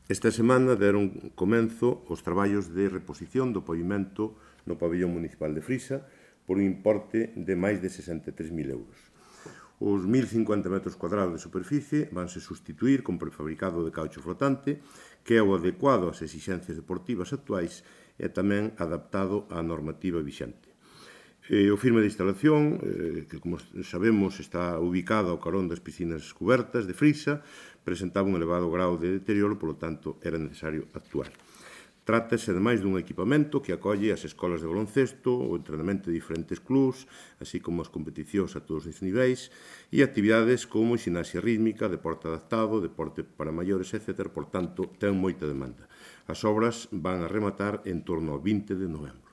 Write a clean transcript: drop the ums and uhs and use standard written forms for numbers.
Esta semana deron comenzo os traballos de reposición do pavimento no pabillón municipal de Frisa por un importe de máis de 63.000 euros. Os 1.050 metros cuadrados de superficie vanse sustituir con prefabricado de caucho flotante, que é o adecuado ás exixencias deportivas actuais e tamén adaptado á normativa vixente. O firme de instalación, que como sabemos está ubicado ao carón das piscinas cubertas de Frisa, presentaba un elevado grau de deterioro, polo tanto era necesario actuar. Trátase, ademais, dun equipamento que acolle as escolas de baloncesto, o entrenamento de diferentes clubs, así como as competicións a todos os niveis, e actividades como ximnasia rítmica, deporte adaptado, deporte para maiores, etc. Por tanto, ten moita demanda. As obras van a rematar en torno ao 20 de novembro.